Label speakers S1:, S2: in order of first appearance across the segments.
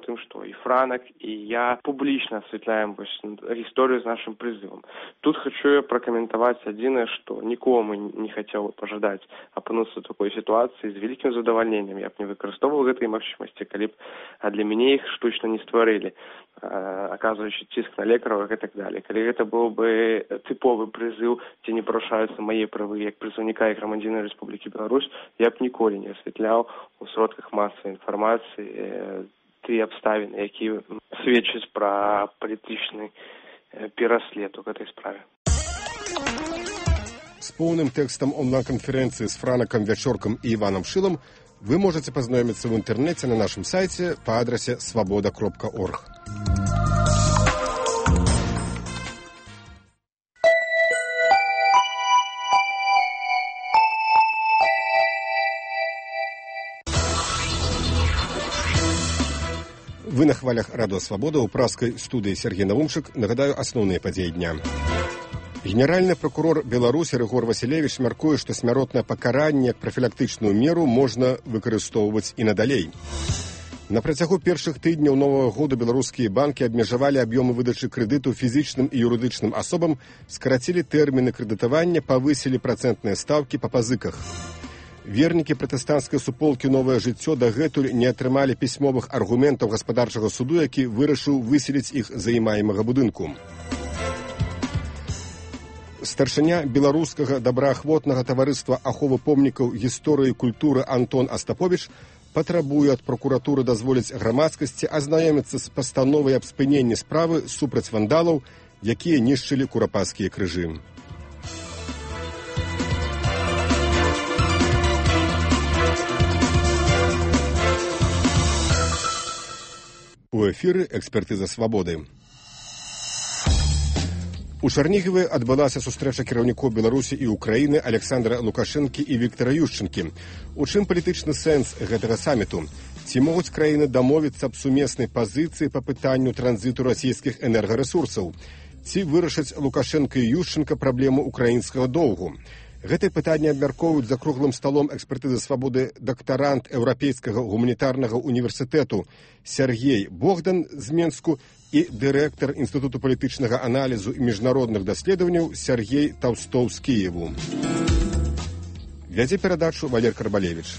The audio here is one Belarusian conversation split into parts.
S1: тым, што і Франак, і я публічна асвятляем гісторыю з нашым прызывам. Тут хочу я пракаментаваць адзінае, што нікому не хацеў пажадаць апынуцца ў такой сітуацыі. З вялікім задавальненнем я б не выкарыстоўваў гэтай магчымасці, калі б для мяне іх штучна не стварылі, аказваючы ціск на лекараў і так далее. Калі гэта быў бы тыповы прызыў, дзе не парушаюцца мае правы як прадстаўніка і грамадзяніна Рэспублікі Беларусь, я б ніколі не асвятляў у сродках масавай інфармацыі тыя абставіны, якія сведчаць пра палітычны пераслед у гэтай справе.
S2: З поўным тэкстам онлайн-канферэнцыі з Франакам Вячоркам і Іванам Шылам вы можете пазнаёміцца ў інтэрнэце на нашым сайце па адрасе свабода.орг. Вы на хвалях Радио Свобода у праскай студыі Сергей Навумчык. Нагадаю асноўныя падзеі дня. Генеральны прокурор Беларусі Рыгор Васілевіч мяркуе, што смяротнае пакаранне як прафілактычную меру можна выкарыстоўваць і надалей. На працягу першых тыдняў новага года беларускія банкі абмежавалі аб'ёмы выдачы крэдыту фізічным і юрыдычным асобам, скарацілі тэрміны крэдытавання, павысілі працэнтныя стаўкі па пазыках. Вернікі пратэстанцкай суполкі «Новае жыццё» дагэтуль не атрымалі пісьмовых аргументаў гаспадарчага суду, які вырашыў выселіць іх з займаемага будынку. Старшыня беларускага добраахвотнага таварыства аховы помнікаў гісторыі і культуры Антон Астаповіч патрабуе ад прокуратуры дазволіць грамадскасці азнаёміцца з пастановай аб спыненні справы супраць вандалаў, якія нішчылі курапаскія крыжы. У эфіры «Экспертыза свабоды». У Чарнігіве адбылася сустрэча кіраўнікоў Беларусі і Украіны Александра Лукашэнкі і Віктара Ющэнкі. У чым палітычны сэнс гэтага саміту? Ці могуць краіны дамовіцца аб сумеснай пазіцыі па пытанню транзіту расійскіх энергарэсурсаў? Ці вырашаць Лукашэнка і Ющэнка праблему украінскага доўгу? Гэтае пытанне абмяркоўваюць за круглым сталом экспертызы свабоды дактарант Еўрапейскага гуманітарнага універсітэту Сергей Богдан з Менску і дырэктар Інстытуту палітычнага аналізу і міжнародных даследаванняў Сергей Таўстоў з Кіеву. Вядзе перадачу Валер Карбалевіч.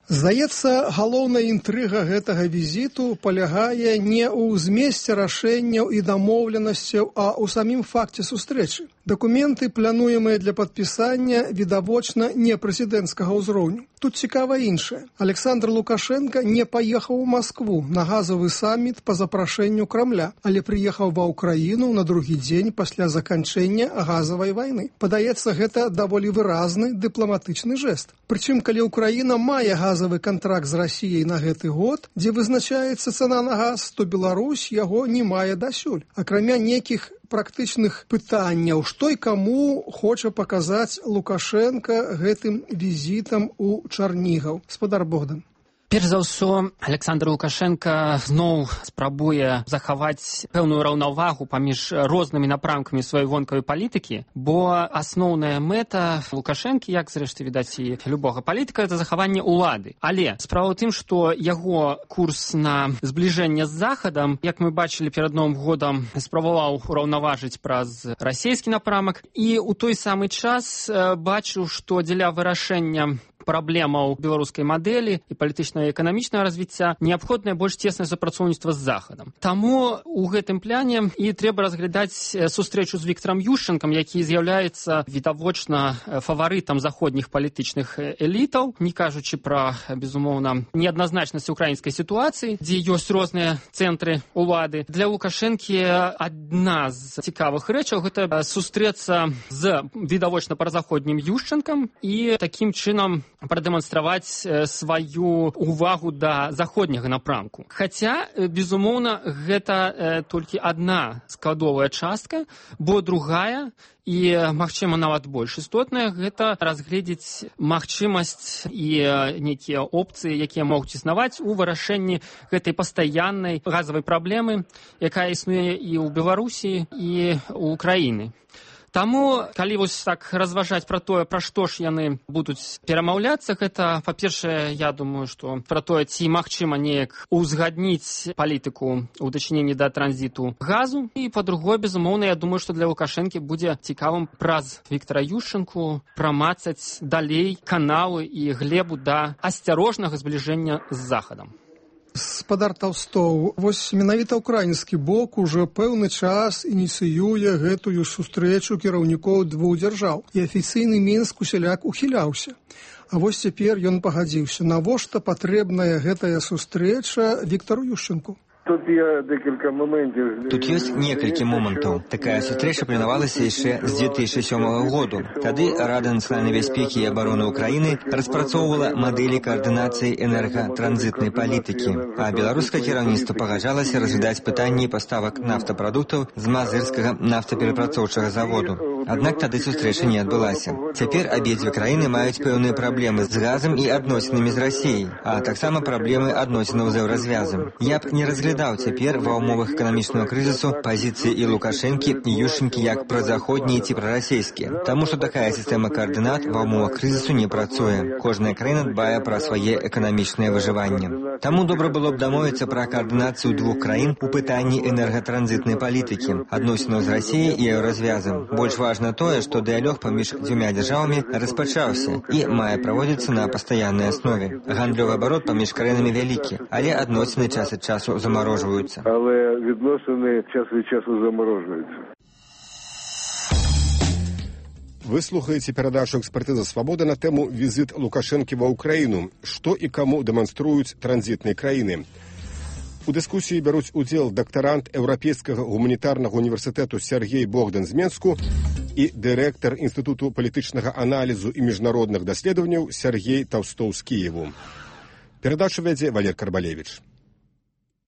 S3: Здаецца, галоўная інтрыга гэтага візіту палягае не ў змесце рашэнняў і дамоўленасцяў, а ў самім факце сустрэчы. Дакументы, плануемыя для падпісання, відавочна не прэзідэнцкага ўзроўню. Тут цікава іншае. Александр Лукашенко не паехаў у Маскву на газавы саміт па запрашэнню Крамля, але прыехаў ва Ўкраіну на другі дзень пасля заканчэння газавай вайны. Падаецца, гэта даволі выразны дыпламатычны жэст. Прычым, калі Ўкраіна мае газавы кантракт з Расіяй на гэты год, дзе вызначаецца цана на газ, то Беларусь яго не мае дасюль. Акрамя нейкіх практычных пытанняў, што і каму хоча паказаць Лукашенко гэтым візітам у Чарнігаў. Спадар Богдан.
S4: Перш за ўсё, Александр Лукашенко зноў спрабуе захаваць пэўную раўнавагу паміж рознымі напрамкамі сваёй вонкавай палітыкі, бо асноўная мэта Лукашэнкі, як зрэшты відаць і любога палітыка, это захаванне ўлады. Але справа ў тым, што яго курс на збліжэнне з Захадам, як мы бачылі перад Новым годам, спрабаваў ураўнаважыць праз расійскі напрамак, і ў той самы час бачыў, што дзеля вырашэння праблемаў беларускай мадэлі і палітычнага і эканамічнага развіцця неабходнае больш цеснае супрацоўніцтва з Захадам. Таму ў гэтым пляне і трэба разглядаць сустрэчу з Віктарам Ющэнкам, які з'яўляецца відавочна фаварытам заходніх палітычных элітаў, не кажучы пра, безумоўна, неадназначнасць украінскай сітуацыі, дзе ёсць розныя цэнтры улады. Для Лукашэнкі адна з цікавых рэчаў гэта сустрэцца з відавочна празаходнім Ющэнкам і такім чынам прадэманстраваць сваю увагу да заходняга напрамку. Хаця, безумоўна, гэта толькі адна складовая частка, бо другая і, магчыма, нават больш істотная, гэта разгледзець магчымасць і нейкія опцыі, якія могуць існаваць у вырашэнні гэтай пастаяннай газавай праблемы, якая існуе і ў Беларусі, і ў Украіны. Таму, калі вось так разважаць пра тое, пра што ж яны будуць перамаўляцца, гэта, па-першае, я думаю, што пра тое, ці магчыма неяк узгадніць палітыку ў дачыненні да транзіту газу. І, па-другое, безумоўна, я думаю, што для Лукашэнкі будзе цікавым праз Віктара Ющэнку прамацаць далей каналы і глебу да асцярожнага збліжэння з Захадам.
S3: Спадар Таўстоў, вось менавіта ўкраінскі бок ужо пэўны час ініцыюе гэтую сустрэчу кіраўнікоў двух дзяржаў, і афіцыйны Мінск усяляк ухіляўся. А вось цяпер ён пагадзіўся. Навошта патрэбная гэтая сустрэча Віктару Ющэнку?
S5: Тут ёсць некалькі момантаў. Такая сустрэча планавалася яшчэ з 2007 году. Тады Рада нацыянальнай бяспекі і абароны Украіны распрацоўвала мадэлі каардынацыі энергатранзітнай палітыкі, а беларускае кіраўніцтва пагаджалася разглядаць пытанні паставак нафтапрадуктаў з мазырскага нафтаперапрацоўчага заводу. Аднак тады сустрэча не адбылася. Цяпер абедзве краіны маюць пэўныя праблемы з газам і адносінамі з Расіяй, а таксама праблемы адносінаў з еўразвязам. Я б не разглядаў цяпер ва ўмовах эканамічнага крызісу пазіцыі і Лукашэнкі, і Ющэнкі як празаходнія ці прарасійскія. Таму што такая сістэма каардынат ва ўмовах крызісу не працуе. Кожная краіна дбае пра свае эканамічнае выжыванне. Таму добра было б дамовіцца пра каардынацыю двух краін у пытанні энергатранзітнай палітыкі, адносінаў з Расіяй і еўразвязам. Больш важна тое, што дыялог паміж дзвюма дзяржавамі распачаўся і мае праводзіцца на пастаяннай аснове. Гандлёвы абарот паміж краінамі вялікі, але адносіны час ад часу замарожваюцца.
S6: Але відносини час від часу заморожуються.
S2: Вы слухаеце перадачу «Экспертыза свабоды» на тэму «Візіт Лукашэнкі ва Ўкраіну. Што і каму дэманструюць транзітныя краіны». У дыскусіі бяруць удзел дактарант Еўрапейскага гуманітарнага універсітэту Сергей Богдан з Менску і дырэктар Інстытуту палітычнага аналізу і міжнародных даследаванняў Сергей Таўстоў з Кіеву. Перадачу вядзе Валер Карбалевіч.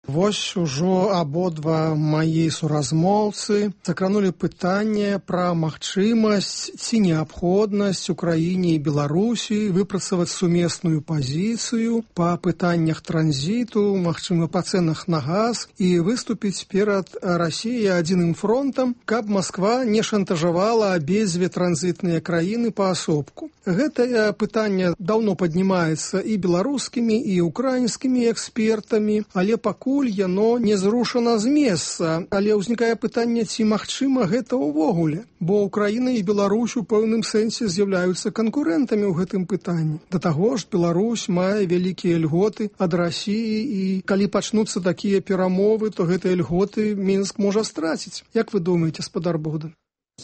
S3: Вось ужо абодва мае суразмоўцы закранулі пытанне пра магчымасць ці неабходнасць Украіне і Беларусі выпрацаваць сумесную пазіцыю па пытаннях транзіту, магчыма, па цэнах на газ і выступіць перад Расіяй адзіным фронтам, каб Масква не шантажавала абедзве транзітныя краіны паасобку. Гэтае пытанне даўно паднімаецца і беларускімі, і украінскімі экспертамі, але пакуль яно не зрушана з месца. Але ўзнікае пытанне, ці магчыма гэта ўвогуле, бо Украіна і Беларусь у пэўным сэнсе з'яўляюцца канкурэнтамі ў гэтым пытанні. Да таго ж, Беларусь мае вялікія льготы ад Расіі, і калі пачнуцца такія перамовы, то гэтыя льготы Мінск можа страціць. Як вы думаеце, спадар Богдан?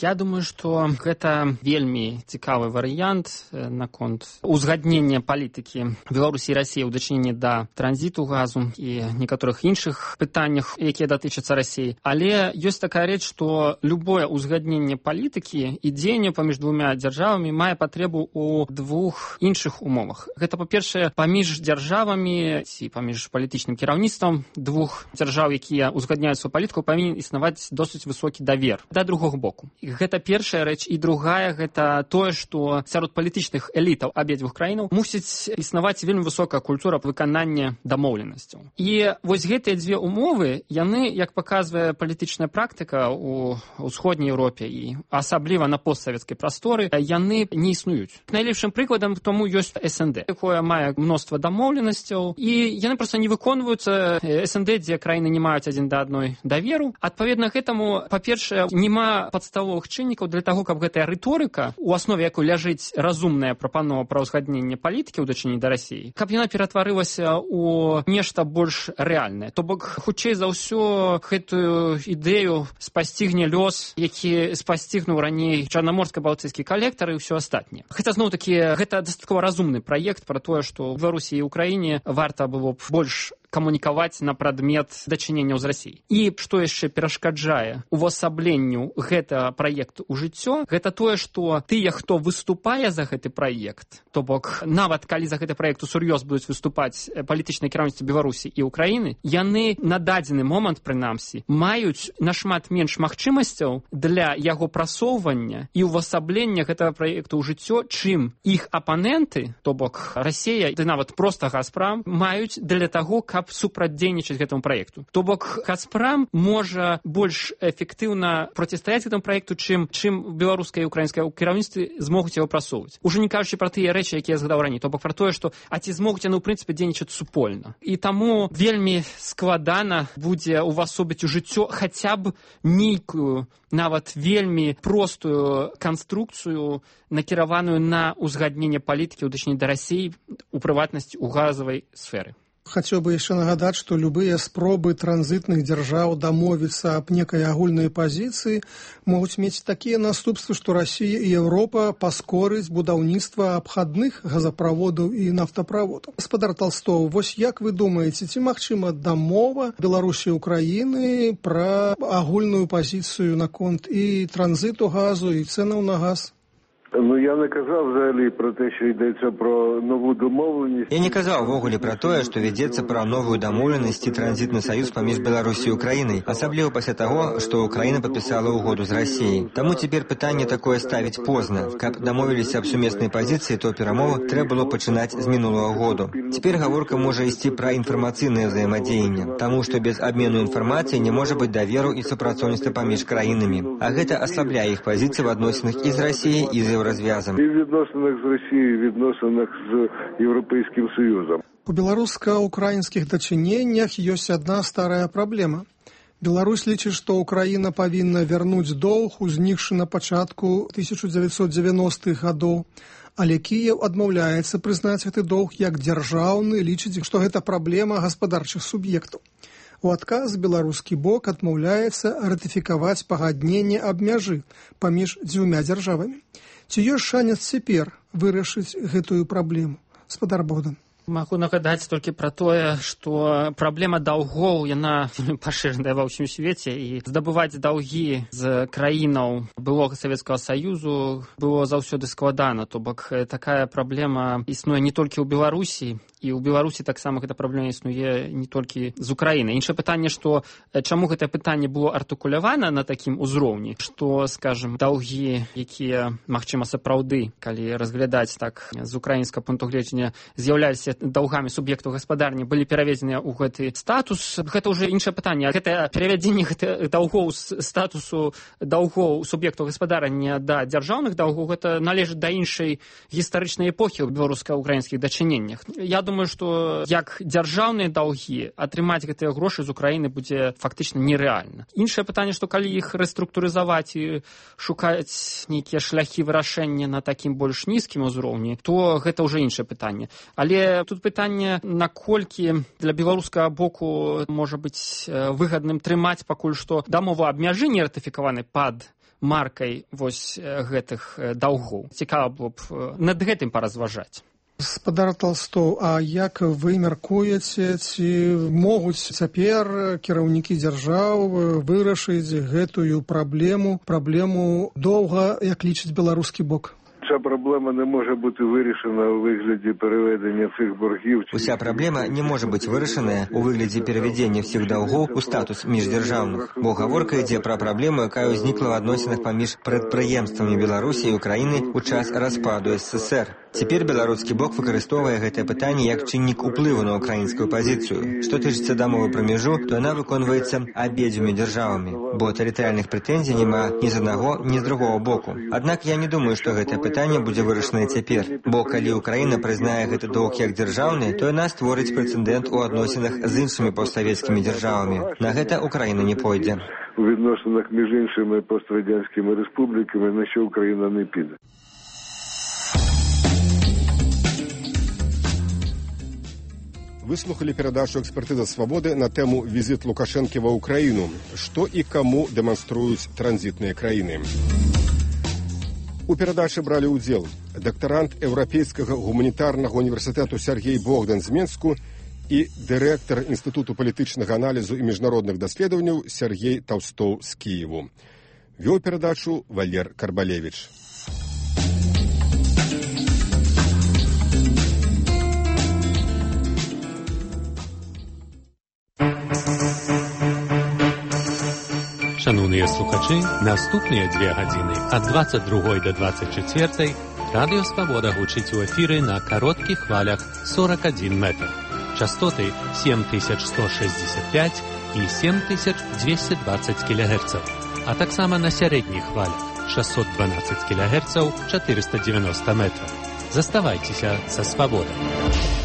S4: Я думаю, што гэта вельмі цікавы варыянт наконт узгаднення палітыкі Беларусі і Расіі ў дачыненні да транзіту газу і некаторых іншых пытаннях, якія датычацца Расіі. Але ёсць такая рэч, што любое узгадненне палітыкі і дзеянне паміж двумя дзяржавамі мае патрэбу ў двух іншых умовах. Гэта, па-першае, паміж дзяржавамі ці паміж палітычным кіраўніцтвам двух дзяржаў, якія узгадняюць сваю палітыку, павінен існаваць досыць высокі давер да другога боку. Гэта першая рэч. І другая, гэта тое, што сярод палітычных элітаў абедзвюх краінаў мусіць існаваць вельмі высокая культура выканання дамоўленасцяў. І вось гэтыя дзве умовы, яны, як паказвае палітычная практыка ў ўсходняй Еўропе і асабліва на постсавецкай прасторы, яны не існуюць. Найлепшым прыкладам тому ёсць СНД, якое мае мноства дамоўленасцяў, і яны проста не выконваюцца. СНД, дзе краіны не маюць адзін да адной даверу. Адпаведна гэтаму, па-першае, няма падставовых чыннікаў для таго, каб гэтая рыторыка, у аснове якой ляжыць разумная прапанова пра ўзгадненне палітыкі ў дачыненні да Расіі, каб яна ператварылася ў нешта больш рэальнае. То бок, хутчэй за ўсё, гэтую ідэю спасцігне лёс, які спасцігнуў раней чарнаморска-балтыйскі калектар і ўсё астатняе. Хаця, зноў-такі, гэта дастаткова разумны праект пра тое, што ў Беларусі і Украіне варта было б больш камунікаваць на прадмет дачыненняў з Расіяй. І што яшчэ перашкаджае увасабленню гэтага праекту ў жыццё, гэта тое, што тыя, хто выступае за гэты праект, то бок нават калі за гэты праект усур'ёз будуць выступаць палітычныя кіраўніцтвы Беларусі і Украіны, яны на дадзены момант, прынамсі, маюць нашмат менш магчымасцяў для яго прасоўвання і увасаблення гэтага праекту ў жыццё, чым іх апаненты, то бок Расія, ды нават проста Газпрам, маюць для таго, каб каб супрацьдзейнічаць гэтаму праекту. То бок Газпром можа больш эфектыўна процістаяць гэтаму праекту, чым беларускае і украінскае кіраўніцтвы змогуць яго прасоўваць. Уже не кажучы пра тыя рэчы, якія я згадаў раней, то бок пра тое, што ці змогуць яны ў прынцыпе дзейнічаць супольна. І таму вельмі складана будзе увасобіць у жыццё хаця б нейкую, нават вельмі простую канструкцыю, накіраваную на узгадненне палітыкі ў дачыненні да Расіі, у прыватнасці ў газавай сферы.
S3: Хацеў бы яшчэ нагадаць, што любыя спробы транзітных дзяржаў дамовіцца аб некай агульнай пазіцыі могуць мець такія наступствы, што Расія і Еўропа паскорыць будаўніцтва абхадных газаправодаў і нафтаправодаў. Гаспадар Толстоў, вось як вы думаеце, ці магчыма дамова Беларусі і Украіны пра агульную пазіцыю наконт і транзиту газу, і цэнаў на газ?
S6: Ну, я не казав взагалі про те, що йдеться про нову домовленість.
S5: Я не казав ввогуле про тое, што вядзецца пра новую дамоўленасць і транзітны саюз паміж Беларусі і Украінай, асабліва пасля таго, што Украіна падпісала ўгоду з Расіяй. Таму цяпер пытанне такое ставіць позна. Каб дамовіліся аб сумеснай пазіцыі, то перамовы трэба было пачынаць з мінулага году. Цяпер гаворка можа ісці пра інфармацыйнае ўзаемадзеянне, таму што без абмену інфармацыі не можа быць даверу і супрацоўніцтва паміж краінамі. А гэта аслабляе іх пазіцыі в адносінах і з Расіяй, і з розв'язом.
S6: І в відносинах з Росією, і в відносинах з Європейським Союзом.
S3: У беларуска-украінскіх дачыненнях ёсць адна старая праблема. Беларусь лічыць, што Украіна павінна вярнуць доўг, узнікшы на пачатку 1990-х гадоў, але Кіеў адмаўляецца прызнаць гэты доўг як дзяржаўны, лічыць, што гэта праблема гаспадарчых суб'ектаў. У адказ беларускі бок адмаўляецца ратыфікаваць пагадненне аб мяжы паміж дзвюма дзяржавамі. Ці ёсць шанец цяпер вырашыць гэтую праблему? Гаспадар Богдан.
S4: Магу нагадаць толькі пра тое, што праблема даўгоў, яна пашыраная ва ўсім свеце, і здабываць даўгі з краінаў былога Савецкага Саюзу было заўсёды складана. То бок такая праблема існуе не толькі ў Беларусі, і ў Беларусі таксама гэта праблема існуе не толькі з Украіны. Іншае пытанне, што чаму гэтае пытанне было артыкулявана на такім узроўні, што, скажем, даўгі, якія, магчыма, сапраўды, калі разглядаць так з украінскага пункту гледжання, з'яўляліся даўгамі суб'ектаў гаспадарні, былі пераведзеныя ў гэты статус. Гэта ўжо іншае пытанне. Гэта перавядзенне даўгоў з статусу даўгоў суб'ектаў гаспадарання да дзяржаўных даўгоў, гэта належыць да іншай гістарычнай эпохі ў беларуска-украінскіх дачыненнях. Я думаю, што як дзяржаўныя даўгі атрымаць гэтыя грошы з Украіны будзе фактычна нерэальна. Іншае пытанне, што калі іх рэструктурызаваць і шукаць нейкія шляхі вырашэння на такім больш нізкім узроўні, то гэта ўжо іншае пытанне. Але тут пытанне, наколькі для беларускага боку можа быць выгадным трымаць пакуль што дамову аб мяжы не ратыфікаванай пад маркай вось гэтых даўгоў. Цікава было б над гэтым паразважаць.
S3: Гаспадар Толстоў, а як вы мяркуеце, ці могуць цяпер кіраўнікі дзяржаў вырашыць гэтую праблему доўга, як лічыць беларускі бок?
S6: Ця проблема не може бути вирішена у вигляді переведення цих боргів.
S5: Уся праблема не може бути вирішена у вигляді переведення всіх долгов у статус міждержавних. Бо гаворка йде про проблему, яка узнікла в відносинах поміж підприємствами Білорусі і України у час розпаду СССР. Цяпер беларускі бок выкарыстоўвае гэтае пытанне як чыннік уплыву на украінскую пазіцыю. Што тычыцца дамовы пра мяжу, то яна выконваецца абедзвюма дзяржавамі, бо тэрытарыяльных прэтэнзій няма ні з аднаго, ні з другого боку. Аднак я не думаю, што гэтае пытанне будзе вырашанае цяпер, бо калі Украіна прызнае гэты доўг як дзяржаўны, то яна створыць прэцэдэнт у адносінах з іншымі постсавецкімі дзяржавамі. На гэта Украіна не пойдзе.
S6: У відносинах між іншими пострадянськими республіками, на що Україна не піде.
S2: Выслухали перадачу «Экспертиза свободы» на тему «Визит Лукашенко ва Украину. Что и кому демонструют транзитные краины». У перадачы брали удзел дактарант Еўрапейскага гуманітарнага універсітэту Сергей Богдан з Менску і дырэктар Інстытуту палітычнага аналізу і міжнародных даследаванняў Сергей Толстоў з Кіеву. Вёў перадачу Валер Карбалевіч.
S7: Шановні слухачі, наступні 2 години від 22 до 24 Радіо Свобода гучить у ефірі на коротких хвалях 41 метр. Частоты 7165 і 7220 кГц, а таксама на сярэдніх хвалях 612 кГц 490 метров. Заставайцеся са свабодай.